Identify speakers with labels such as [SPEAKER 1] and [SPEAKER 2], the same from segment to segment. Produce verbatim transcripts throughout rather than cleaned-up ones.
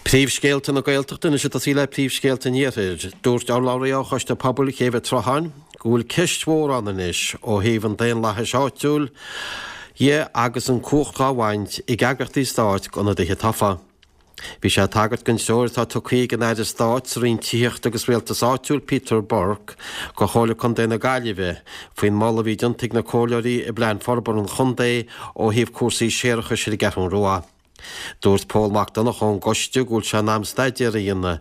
[SPEAKER 1] Príomhscéalta na Gaeltachta anois ag tosaí le príomhscéalta an Iarthair. Dúirt urlabhraí ó Choiste Pobail Chéibh an tSrutháin go bhfuil ceist mhór ann anois ó thaobh an daonlathais áitiúil dhe agus an cumhacht dhá bhaint ag eagraíochtaí stáit d'ionadaithe tofa. Bhí sé ag tagairt don treoir atá tugtha ag an Aire Stáit sa Roinn Tithíochta agus Rialtais Áitiúil Peter Burke go Chomhairle Contae na Gaillimhe faoin moladh a bhí déanta ag na comhairleoirí i bplean forbartha an chontae ó thaobh cúrsaí séarachais ar an gCeathrú Rua. Dúirt Pól Mac Donncha ón gcoiste go bhfuil sé in am staidéar a dhéanamh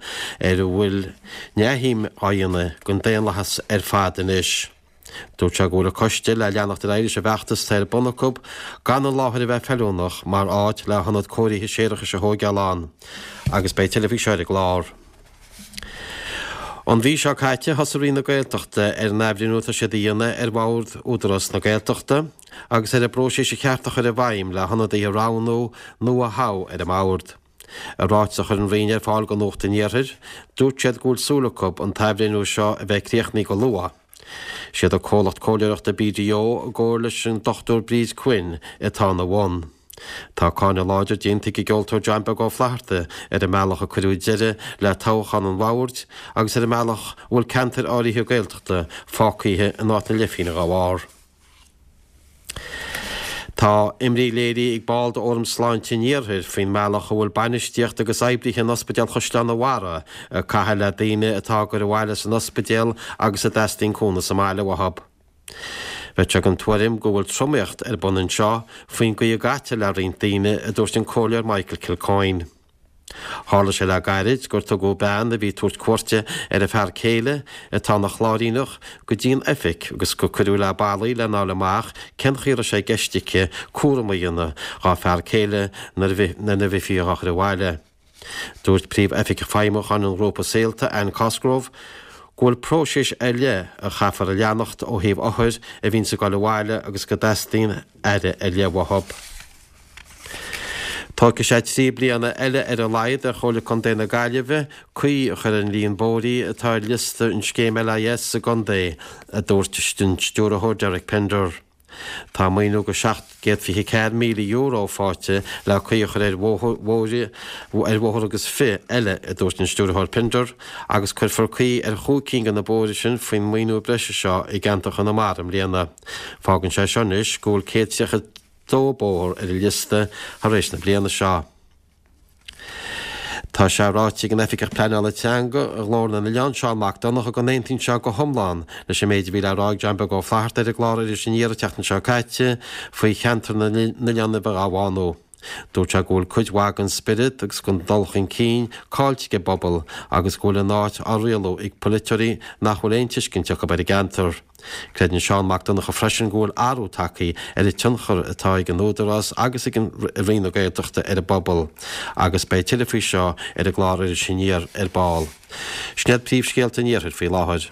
[SPEAKER 1] ar a bhfuil neamhshuim á dhéanamh den daonlathas ar fad anois. Dúirt sé go bhfuil an coiste le leanacht ar aghaidh leis an bhfeachtas atá ar bun acu gan an láthair a bheith feiliúnach mar áit le hionad cóirithe séarachais a thóigeáil ann agus beidh tuilleadh faoi seo ar an gclár. An mhí seo caite, thosaigh Roinn na Gaeltachta ar an athbhreithniú atá siad a dhéanamh ar Bhord Údarás na Gaeltachta agus ar an bpróiseas a cheart a chur i bhfeidhm le hionadaithe a roghnú nó a thoghadh ar an mbord. I ráiteas a chuir an Roinn ar fáil do Nuacht an Iarthair, dúirt siad go bhfuil súil acu an t-athbhreithniú seo a bheith críochnaithe go luath. Siad an comhlacht comhairleoireachta BDO i gcomhar leis an Dochtúir Bríd Quinn atá ina bhun. Tá cáineadh láidir déanta ag an gceoltóir John Beag Ó Flatharta ar an mbealach a cuireadh deireadh le toghchán an bhoird agus ar an mbealach a bhfuil ceantair áirithe Gaeltachta fágtha in áit na leithphingne dá bharr. Tá imní léirithe ag ball d'Fhóram Sláinte an Iarthair faoin mbealach a bhfuil bainistíocht agus oibrithe in Ospidéal Chaisleán an Bharraigh ag caitheamh le daoine atá á gcur abhaile as an ospidéal agus a dteastaíonn cúnamh sa mbaile uathu. Bheadh sé den tuairim go bhfuil tromaíocht ar bun anseo faoin gcaoi a gcaitear le roinnt daoine, a dúirt an Comhairleoir Michael Kilcoyne. Tharla sé le gairid gur tugadh bean a bhí ag tabhairt cuairte ar a fear céile, atá ina Chláiríneach, go dtí an oifig agus gur cuireadh le ballaí lena fháil amach cén chaoi a raibh sé i gceist aici cúram a dhéanamh dhá fear céile nuair a bheifí á chur abhaile. Dúirt Príomh-Oifigeach Feidhmiúcháin an ghrúpa Saolta, Anne Cosgrove, go bhfuil próiseas ar leith a chaithfear a leanacht ó thaobh othair a bhíonns ag dul abhaile agus go dteastaíonn aire ar leith uathu. Tógfaidh sé trí bliana eile ar a laghad ar Chomhairle Contae na Gaillimhe caoi a chur ar an líon bóithrí atá ar liosta an scéim LIS sa gcontae, a dúirt an Stiúrthóir Derek Pender. Tá maoiniú de seacht gcéad fiche ceathair míle euro faighte le caoi a chur ar bhóithre ar bhóthar agus fiche eile, a dúirt an Stiúrthóir Pender, agus cuirfear caoi ar chúig cinn de na bóithre sin faoin maoiniú breise seo i gceantar Chonamara i mbliana. Fágann sé seo anois go bhfuil céad tríocha dó bóthar ar an liosta thar éis na bliana seo. Tá sé ráite ag an Oifigeach Pleanála Teanga i nGlór na nOileán, Seán Mac Donncha, go n-aontaíonn sé go hiomlán leis an méid a bhí le rá ag John Beag Ó Flatharta ar an gclár Iris Aniar an tseachtain seo caite faoi cheantar na n-oileán a bheith á bhánú. Dúirt sé go bhfuil cuid mhaith den spiorad agus den dul chun cinn caillte ag an bpobal agus go bhfuil an áit á rialú ag polaiteoirí nach bhfuil aon tuiscint acu ar an gceantar. Creideann Seán Mac Donncha freisin go bhfuil athrú tagtha ar an tionchar atá ag an Údarás agus ag Roinn na Gaeltachta ar an bpobal agus beidh tuilleadh faoi seo ar an gclár Iris Aniar ar ball. Sin iad príomhscéalta an Iarthair faoi láthair.